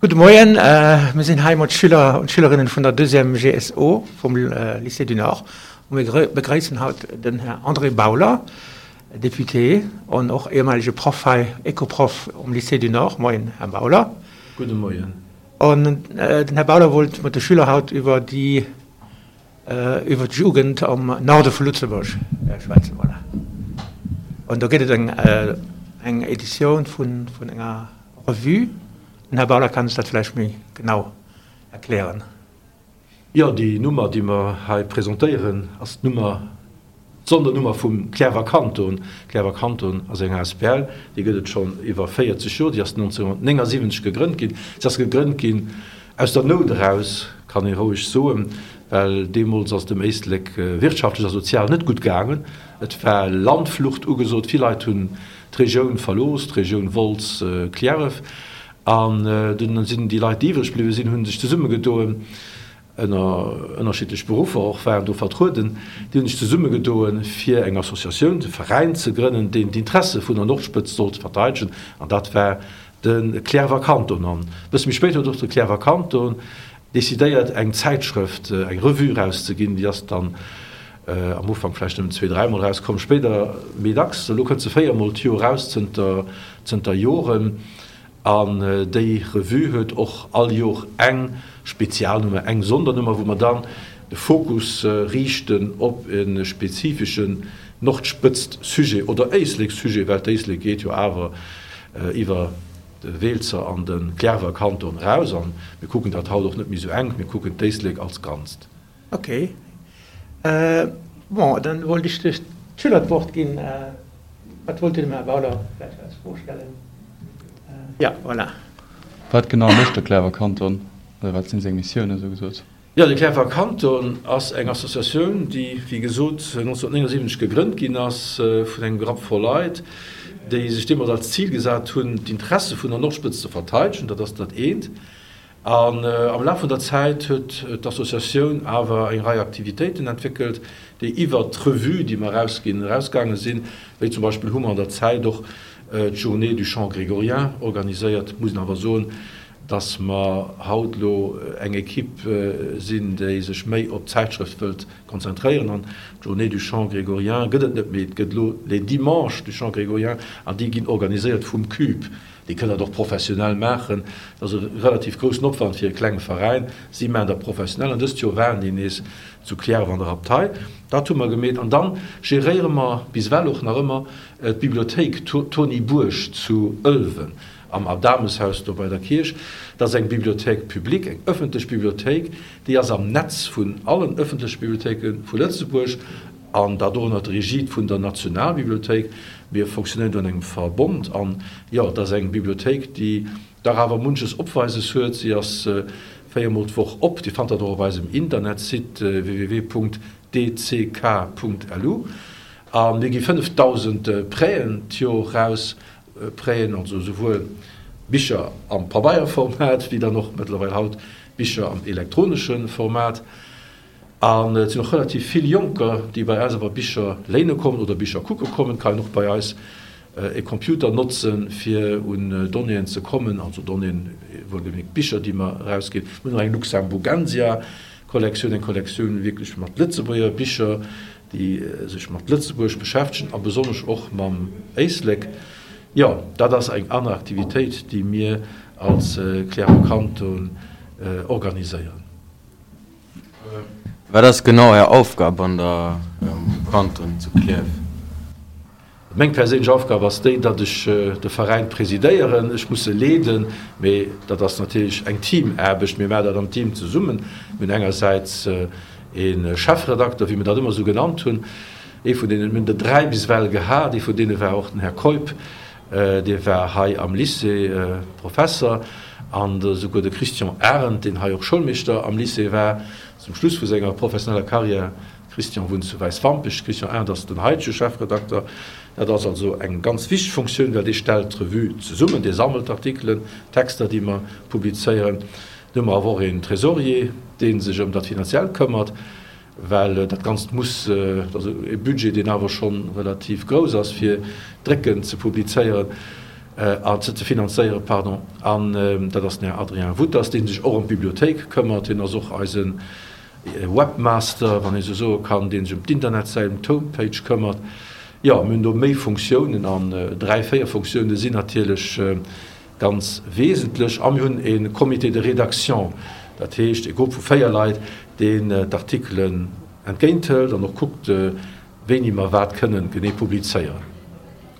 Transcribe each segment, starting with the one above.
Gudde Moien, mir sinn hei mat Schüler und Schülerinnen vun der Deuxième GSO vum Lycée du Nord und mir begréissen haut den Här André Bauler, Député an och ehemalige Proff hei, Ecoproff um Lycée du Nord. Moien, Här Bauler. Gudde Moien. An den Här Bauler wollt mat de Schüler haut iwwer déi iwwer d'Jugend am Norde vu Lëtzebuerg schwätzen. Voilà. An do gëtt et eng eng Editioun vun vun enger Revue. Den Här Bauler kann eis dat vläicht méi genau erklären. Jo, déi Nummer, déi mer hei presentéieren, ass d'Nummer, d'Sondernummer vum Cliärrwer Kanton. Cliärrwer Kanton ass eng asbl, déi gëtt et schonn iwwer 40 Joer. Déi ass 1979 gegrënnt ginn. Se ass gegrënnt ginn aus der Nout eraus, kann ee roueg soen, well deemools ass et dem Éislek wirtschaftlech a sozial net gutt gaangen. Et war Landflucht ugesot, vill Leit hunn d'Regioun verlooss, d'Regioun Wolz-Cliärref. An dunn sinn déi Leit, déi iwwreg bliwwe sinn, hu sech zesummegedoen, ënner ënnerschiddlech Beruffer och waren do vertrueden, déi hunn sech zesummegedoen, fir eng Associatioun, e Veräin ze grënnen, deen d'Interesse vun der Nordspëtz sollt verteidegen. An dat war de Cliärrwer Kanton. An e bësse méi spéit huet och de Cliärrwer Kanton decidéiert, eng Zäitschrëft, eng Revue erauszeginn. Déi ass dann am Ufank vläicht nëmmen zwee-, dräimol erauskomm, spéider méi dacks. Elo kënnt se véiermol d'Joer eraus, zënter, zënter Joren. An déi Revue huet och all Jor eng Spezialnummer, eng Sondernummer, wou mer dann de Fokus riichten op e spezifeschen Nordspëtzt-Sujet oder Éislek-Sujet, well d'Éislek geet jo awer iwwer de Weelzer an de Cliärrwer Kanton eraus. A mir kucken dat haut och net méi esou enk, mir kucken d'Éislek als Ganzt. Ok. Bon, dann wollt ech de Schüler d'Wort ginn. Wat wollt Dir dem Här Bauler vläicht als Fro stellen? Jo, voilà. Wat genau mécht de Cliärrwer Kanton oder wat sinn seng Missiounen, esou gesot? Jo, de Cliärrwer Kanton ass eng Associatioun, déi, wéi gesot, 1979 gegrënnt ginn ass vun engem Grapp voll Leit, déi sech deemools als Zil gesat hunn, d'Interesse vun der Nordspëtz ze verteidegen. Dat ass dat eent. An am Laf vun der Zäit huet d'Associatioun awer eng Rei Aktivitéiten entwéckelt, déi iwwert d'Revue, déi mer erausginn, erausgaange sinn. Wéi zum Beispill hu mer an der Zäit och d'Journée du chant grégorien organiséiert. Muss een awer soen, dass mer haut elo eng Equipe sinn, déi sech méi op d'Zäitschrëft wëllt konzentréieren. An d'Journée du chant grégorien gëtt et net méi, et gëtt elo les Dimanches du chant grégorien an déi ginn organiséiert vum CUBE. Déi kënnen dat och professionell maachen. Dat ass e relativ groussen Opwand fir e klenge Veräin. Si maachen dat professionell an dëst Joer waren déi nees zu Cliärref an der Abtei. Dat hu mer gemeet. An dann geréiere mer bis ewell och nach ëmmer d'Bibliothéik Tony Buerg zu Ëlwen am Adameshaus do bei der Kierch. Dat ass eng Bibliothèque publique, eng ëffentlech Bibliothéik. Déi ass am Netz vun allen ëffentleche Bibliothéike vu Lëtzebuerg. An dat och ënner der Egide vun der Nationalbibliothéik. Mir fonctionnéieren do an engem Verbond. An jo, et ass eng Bibliothéik, déi dach awer munches Opweises huet. Si ass véiermol d'Woch op. Dir fannt dat och op eisem Internetsite www.dck.lu. A mir gi 5.000 Prêten d'Jor raus. Prêten, also esouwuel Bicher am Pabeierformat wéi dann och mëttlerweil haut Bicher am elektronesche Format. An et sinn och relativ vill Jonker, déi bei eis awer Bicher léine kommen oder Bicher kucke kommen. Et kann een och bei eis e Computer notzen, fir un Donnéeën ze kommen, also Donnéeën, wuelgemierkt Bicher, déi mer erausginn. Mir hunn och eng Luxemburgensia-Kollektioun, eng Kollektioun wierklech mat Lëtzebuerger Bicher, déi sech mat Lëtzebuerg beschäftegen a besonnesch och mam Éislek. Jo, dat ass eng aner Aktivitéit, déi mir als Cliärrwer Kanton organiséieren. Wat ass genau Är Aufgab an der Kanton zu Klierf? Meng perséinlech Aufgab ass déi, datt ech de Veräin presidéieren. Ech muss e leeden, mee dat ass natierlech eng Teamaarbecht. Mir maachen dat am Team zesummen. Mir hunn engersäits ee Chefredakter, wéi mir dat ëmmer esou genannt hunn, ee vun deenen, mir hunn der dräi bis ewell gehat, ee vun deene war och den Här Keup, Dee war hei am Lycée Professer an esouguer de Christian Arendt, deen hei och Schoulmeeschter am Lycée war, zum Schluss vu senger professioneller Karriär. Christian wunnt zu Wäiswampech. Christian Arendt ass den haitege Chefredakter. Dat ass also eng ganz wichteg Funktioun, well dee stellt d'Revue zesummen, dee sammelt d'Artikelen, d'Texter, déi mer publizéieren. Dann hu mer awer och een Trésorier, dee sech ëm dat Finanziellt këmmert. Well dat Ganzt muss, et ass e Budget, deen awer scho relativ grouss ass, fir drécken ze publizéieren. An ze finanzéieren, pardon. An dat ass den Här Adrien Wutters, dee sech och ëm d'Bibliothéik këmmert. Hien ass och eise Webmaster, wann ee sou soe kann, dee sech ëm d'Internetsäit, ëm d'Homepage këmmert. Jo, mir hunn do méi Funktiounen an dräi, véier Funktiounen sinn natierlech ganz wesentlech. A mir hunn e Comité de rédaction, dat heescht e Grupp vu véier Leit, deen d'Artikelen entgéinthëlt an och kuckt, wéini mer wat kënnen genee publizéieren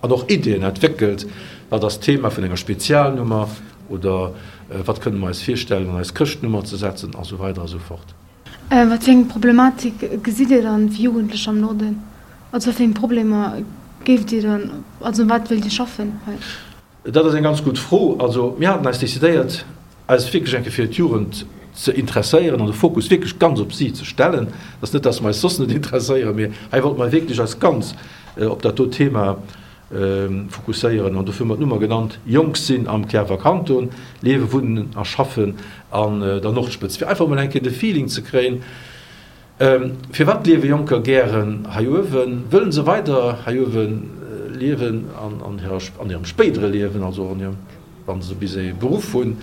an och Ideeën entwéckelt, wat ass d'Thema vun enger Spezialnummer oder wat kënne mer eis virstellen an eis Chrëschtnummer ze setzen a sou weider a sou fort. Wat fir eng Problematik gesitt Dir dann fir Jugendlech am Norden? Also wat fir eng Problemer géift Dir dann, also un wat wëllt Dir schaffen hei? Dat ass eng ganz gutt Fro. Also mir haten eis decidéiert, eis wierklech eng Kéier fir d'Jugend ze interesséieren an de Fokus wierklech ganz op si ze stellen. Et ass net, dass mer eis soss net interesséieren, mee hei wollte mer wierklech eis ganz op dat do Thema fokusséieren. An dofir hu mer d'Nummer genannt, Jonk sinn am Cliärrwer Kanton, liewen, wunnen a schaffen an der Nordspëtz, fir einfach emol eng Kéier de Feeling ze kréien, Firwat liewe Jonker gären hei uewen? Wëllen se weider hei uewe liewen an hirem spéidere Liewen, also och wa se bis ee Beruff hunn?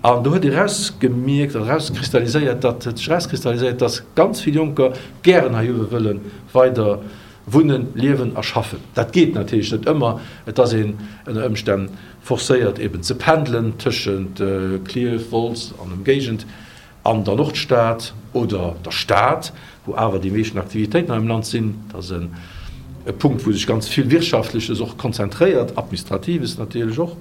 An do huet ee rausgemierkt an erauskristalliséiert, datt huet sech erauskristalliséiert, datt ganz vill Jonker gären hei uewe wëlle weider wunnen, liewen a schaffen. Dat geet natierlech net ëmmer. Et ass een ënner Ëmstänn forcéiert eben ze pendelen tëschent Klierf, Wolz an Ëmgéigend. An der Nordstad oder der Stad, wou awer déi meeschten Aktivitéiten hei am Land sinn, dat ass e Punkt, wou sech ganz vill Wirtschaftleches och konzentréiert, Administratives natierlech och.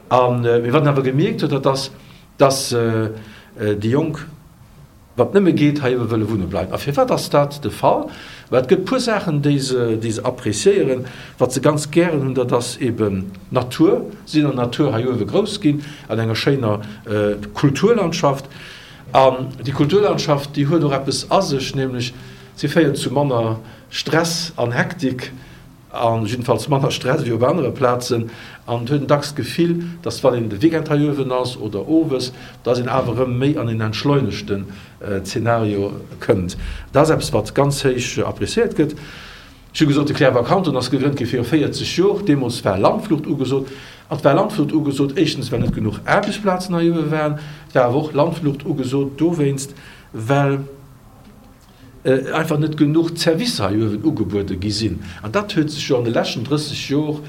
A mee wat een awer gemierkt huet, dat ass, dass déi Jonk, wat nëmme geet, hei ebe wëlle wunne bleiwen. A firwat ass dat de Fall? Well et gëtt e puer Saachen, déi se, déi se appréciéieren, wat se ganz gären hunn, dat ass eben d'Natur. Si sinn an der Natur hei uewe grouss ginn, an enger schéiner Kulturlandschaft. An déi Kulturlandschaft, déi huet och eppes a sech, nämlech si féiert zu manner Stress an Hektik, a jiddefalls manner Stress wéi op anere Plazen. An et huet een dacks d'Gefill, dass wann een de Weekend hei uewen ass oder owes, dass een awer erëm méi an een entschleunegten Zeenario kënnt. Dat ass eppes, wat ganz héich appréciéiert gëtt. Ech hu gesot, de Cliärrwer Kanton ass gegrënnt gi viru 40 Jor. Deemools war Landflucht ugesot. An et war Landflucht ugesot, éischtens, well net genuch Aarbechtsplazen hei uewe waren. Et war awer och Landflucht ugesot dowéinst, well einfach net genuch Zerwisser hei uewen ugebuede gi sinn. An dat huet sech jo an de leschten 30 Jor,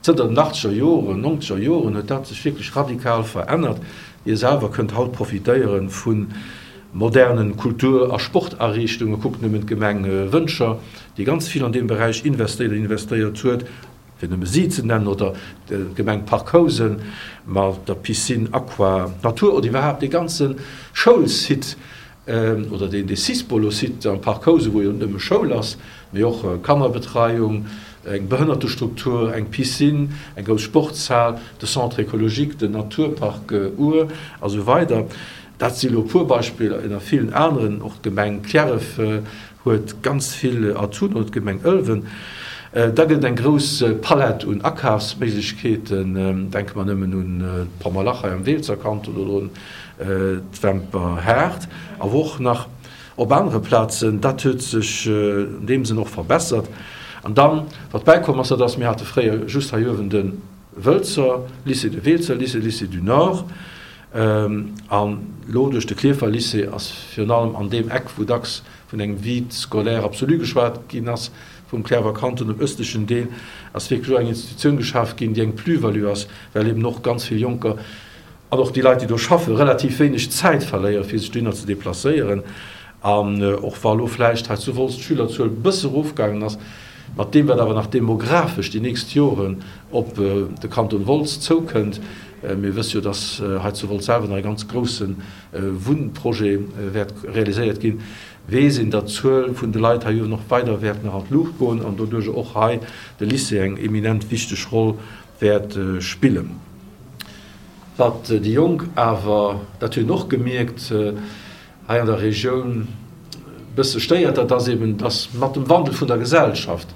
zënter den achtzeger Joren, nonzeger Joren, huet dat sech wierklech radikal verännert. Dir selwer kënnt haut profitéiere vu modernen Kultur a Sportariichtungen. Kuckt nëmmen d'Gemeng Wëntger, déi ganz vill an deem Beräich investéiert an investéiert huet, fir nëmme si ze nennen, oder d'Gemeng Parc Housen mat der Piscine Aqua Natur oder iwwerhaapt dee ganze Schoulsite oder deen Sispolo-Site am Parc Housen, wou jo net nëmme Schoul ass, mee och Kannerbetreiung, eng Behënnertestruktur, eng Piscine, eng grouss Sportshal, de Centre écologique, den Naturpark Our a sou weider. Dat si elo e puer Beispiller ënner villen aneren. Och d'Gemeng Cliärref huet ganz vill Atouten, oder d'Gemeng Ëlwen. Da gëtt et eng grouss Palett un Akafsméiglechkeeten. Denke mer nëmmen un d'Pommerlach hei am Weelzer Kanton oder un d'Wemper Haard, awer och nach op anere Plazen. Dat huet sech an deem Sënn och verbessert. An dann, wat bäikomm ass, dat ass, mir hate fréier just hei uewen de Wëlzer Lycée, de Weelzer Lycée, Lycée du Nord. An elo duerch de Klierfer Lycée ass virun allem an deem Eck, wou dacks vun engem Vide scolaire absolu geschwat ginn ass, vum Cliärrwer Kanton, dem ëstlechen Deel, ass wierklech elo eng Institutioun geschaf ginn, déi eng Plus-value ass, well eben och ganz vill Jonker an och déi Leit, déi do schaffen, relativ wéineg Zäit verléieren, fir sech dohinner ze deplacéieren. An och wa elo vläicht hei zu Wolz d'Schülerzuel e bësse erofgaangen ass, mat deem, wat awer nach demografesch déi nächst Joren op de Kanton Wolz zoukënnt, Mir wësse jo, dass hei zu Wolz selwer nach e ganz grousse Wunnprojet wäert realiséiert ginn. Weess een, datt d'Zuel vun de Leit hei uewen och weider wäert nach an d'Luucht goen an doduerch och hei de Lycée eng eminent wichteg Roll wäert spillen. Wat déi Jonk awer, dat hunn och gemierkt, hei an der Regioun e bësse stéiert, dat ass eben, dass mat dem Wandel vun der Gesellschaft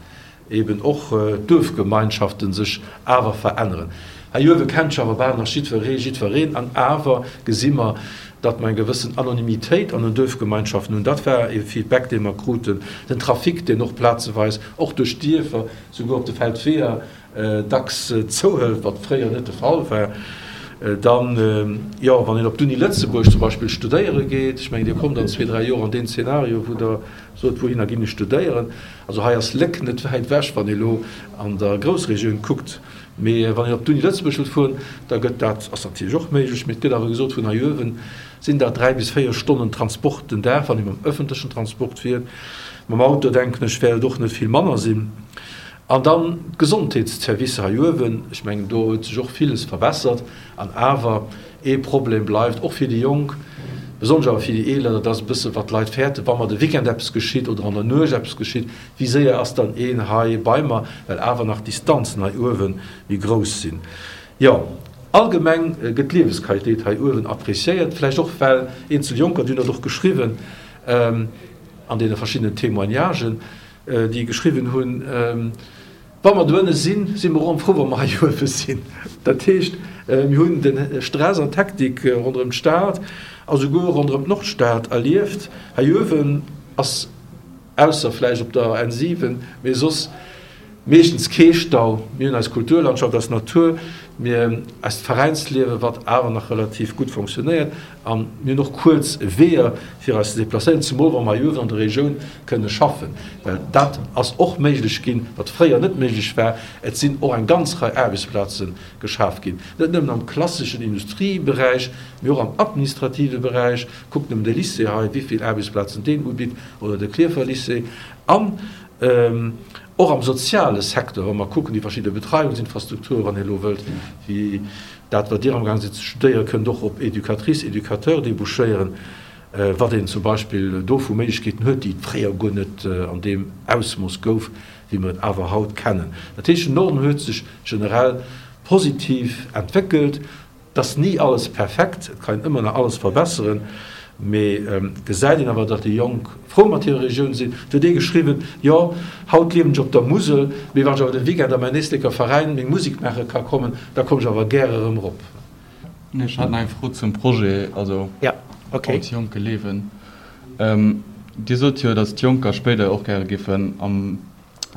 eben och d'Duerfgemeinschaften sech awer veränneren. Hei uewe kennt sech awer bal nach jiddweree jiddwereen an awer gesi mer, datt mer eng gewëssen Anonymitéit an den Duerfgemeinschaften hunn. Dat war e Feedback, dee mer kruten. Den Trafic, deen och plazeweis och duerch d'Dierfer, souguer op de Feldweeër. Dacks zouhëlt, wat fréier net de Fall war. Dann, jo, wann een op d'Uni Lëtzebuerg zum Beispill studéiere geet, ech mengen, Dir kommt an zwee, dräi Joer an deen Zeenario, wou Der sot, wouhinner ginn ech studéieren. Also hei ass Léck net wäit ewech, wann ee lo an der Groussregioun kuckt. Mee wann een op d'Uni Lëtzebuerg wëllt fueren, da gëtt dat, ass natierlech och méiglech, mee et gëtt awer gesot, vun hei uewen sinn dat 3 bis 4 Stonnen Transport den Dag, wann ee mam ëffentlechen Transport fiert. Mam Auto, denken ech, wäert et och net vill manner sinn. An dann d'Gesondheetsservicer hei uewen, ech mengen do huet sech och villes verbessert. An awer, ee Problem bleift och fir déi Jonk, besonnesch awer fir déi Eeler, dat ass e bësse wat d'Leit fäerten, wa mer de Weekend eppes geschitt oder an der Nuecht eppes geschitt, wéi séier ass dann een hei bei mer, well awer nach d'Distanzen hei uewe méi grouss sinn. Jo, allgemeng gëtt d'Liewesqualitéit hei uewen appreciéiert, vläicht och well eenzel Jonker, déi hunn dat och geschriwwen an deene verschiddenen Témoignagen, déi geschriwwen hunn, Wa mer doënne sinn, si mer och frou, wa mer hei uewe sinn. Dat heescht, mir hunn de Stress an d'Hektik ronderëm d'Stad a souguer ronderëm d'Nordstad erlieft. Hei uewen ass, ausser vläicht op der N7, mee soss meeschtens kee Stau. Mir hunn eis Kulturlandschaft, eis Natur, mir eist Veräinsliewen, wat awer nach relativ gutt fonctionnéiert. A mir hunn och kuerz Weeër, fir eis ze deplacéieren, zemol wa mer hei uewen an der Regioun kënne schaffen. Well dat ass och méiglech ginn, wat fréier net méiglech war. Et sinn och eng ganz Rei Aarbechtsplaze geschaf ginn, net nëmmen am klasseschen Industrieberäich, mee och am administrative Beräich. Kuckt nëmmen de Lycée hei, wéi vill Aarbechtsplazen deen ubitt, oder de Klierfer Lycée. An och am soziale Secteur, wa mer kucken, déi verschidde Betreiungsinfrastrukturen, wann ee elo wëllt, wéi Dat, wat Dir amgaang sidd ze studéieren, kënnt och op Educatrice, Educateur débouchéieren, wat een zum Beispill do vu Méiglechkeeten huet, déi et fréier guer net an deem Ausmooss gouf, wéi mer et awer haut kennen. Dat heescht, den Norden huet sech generell positiv entwéckelt. Et ass ni alles perfekt, et kann een ëmmer nach alles verbesseren, mee et gesäit een awer, datt déi Jonk frou mat hirer Regioun sinn. Et huet ee geschriwwen, Jo, haut liewen ech op der Musel, mee wann ech awer de Weekend a mäin Éisleker Veräin meng Musek maache ka kommen, da kommen ech awer gär erëm erop. Ech hat nach eng Fro zum Projet, also Als Jonke liewen. Dir sot jo, datt d'Jonker spéider och gäre giffen am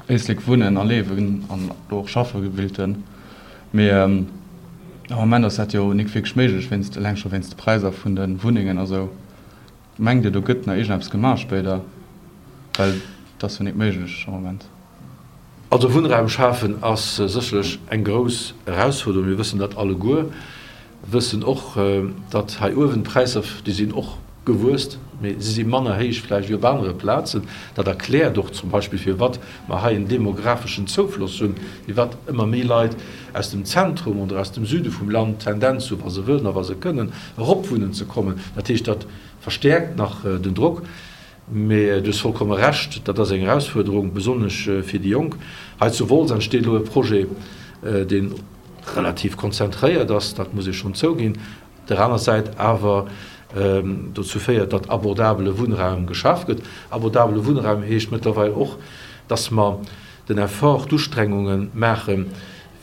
Éislek wunnen a liewen an do och schaffe willten. Mee am Moment ass dat jo nik wierklech méiglech, wéinst, eleng scho wéinst de Präisser vun de Wunnengen a sou. Mengt Dir, do gëtt nach iergendeppes gemaach spéider? Well et ass jo nik méiglech am Moment. Also Wunnraum schafen ass sécherlech eng grouss Erausfuerderung. Mir wëssen dat alleguer. Wëssen och, datt hei uewen d'Präisser, déi sinn och gewuess, mee si si manner héich vläicht wéi op anere Plazen. Dat erkläert och zum Beispill, firwat mer hei en demographeschen Zoufloss hunn, firwat ëmmer méi Leit aus dem Zentrum oder aus dem Süde vum Land d'Tendenz hu, wa se wëllen a wa se kënnen, erop wunnen ze kommen. Dat heescht, dat verstäerkt nach den Drock. Mee du hues vollkomme Recht, dat ass eng Erausfuerderung, besonnesch fir déi Jonk. Hei zu Wolz entsteet elo e Projet, dee relativ konzentréiert ass, dat muss ee schonn zouginn, op der aner Säit awer dozou féiert, datt abordabele Wunnraum geschaf gëtt. Abordabele Wunnraum heescht mëttlerweil och, datt mer den Effort, d'Ustrengunge maachen,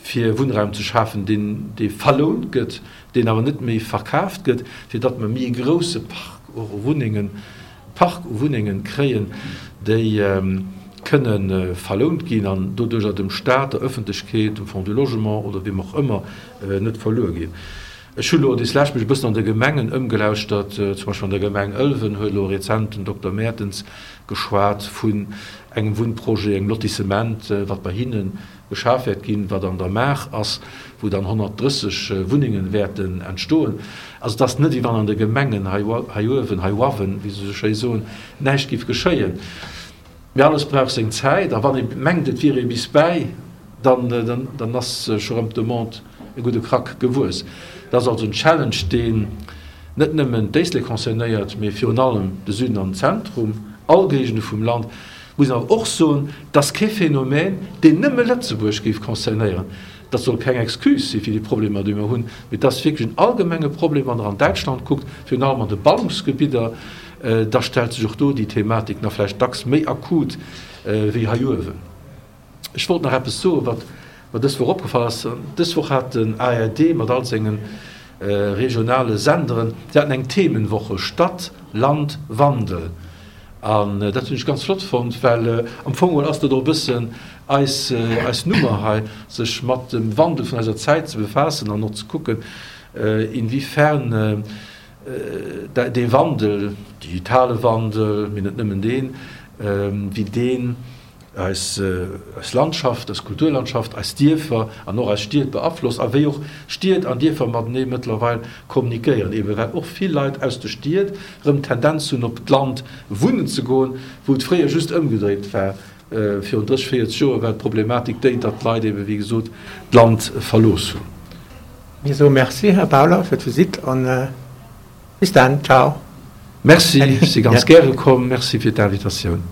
fir Wunnraum ze schafen, deen dee verlount gëtt, deen awer net méi verkaaft gëtt, fir datt mer méi e grouse Park och u Wunnengen, Park u Wunnengen kréien, déi kënne verlount ginn an doduerjer dem Stat, der Öffentlechkeet, dem Fonds du Logement oder wiem och ëmmer net verluer ginn. Ech hu lo deslescht mech e bëssen an de Gemengen ëmgelauschtert, zum Beispill an der Gemeng Ëlwen huet elo rezent den Dokter Mertens geschwat vun engem Wunnprojet, engem Lotissement, wat bei hinnen geschaf wäert ginn, wat an der Maach ass, wou dann 130 Wunnengen wäerten entstoen. Also et ass net, wéi wann an de Gemengen hei uewen, hei uawen, wéi se esou schéi soen, näischt géif geschéien. Mee alles brauch seng Zäit a wann ee mengt, et wier ee bis bäi, dann, dann ass scho rëm d'Demande e gudde Krack gewuess. Dat ass also en Challenge, deen net nëmmen d'Éislek concernéiert, mee virun allem de Süden an den Zentrum, all Géigende vum Land. Muss een awer och soen, et ass kee Phänomen, deen nëmme Lëtzebuerg géif concernéieren. Dat soll keng Excuse si fir déi Problemer, déi mer hunn, mee et ass wierklech en allgemenge Problem. Wann Der an Däitschland kuckt, virun allem an de Ballungsgebidder, da stellt sech och do déi Thematik nach vläicht dacks méi akut wéi hei uewen. Ech wollt nach eppes soen, wat mer dës Woch opgefall ass. Dës Woch hat den ARD mat all senge regionale Senderen, si haten eng Themenwoche Stadt, Land, Wandel. An dat hunn ech ganz flott fonnt, well am Fong geholl ass dat och e bëssen eis, eis Nummer hei, sech mat dem Wandel vun eiser Zäit ze befaassen an och ze kucken, inwiefern dee Wandel, digitale Wandel, mee net nëmmen deen, wéi deen eis Landschaft, eis Kulturlandschaft, eis Dierfer an och eis Stied beaflosst a wéi och Stied an Dierfer matenee mëttlerweil kommunikéieren, ebe well och vill Leit aus de Stied erëm d'Tendenz hunn op d'Land wunnen ze goen, wou et fréier just ëmgedréit war. Virun 30, 40 Joer war d'Problematik déi, datt d'Leit ebe wéi gesot d'Land verlooss hunn. Mir soe Merci, Här Bauler, fir d'Visitt an bis dann. Ciao. Merci, ech si ganz gäre komm. Merci fir d'Invitatioun.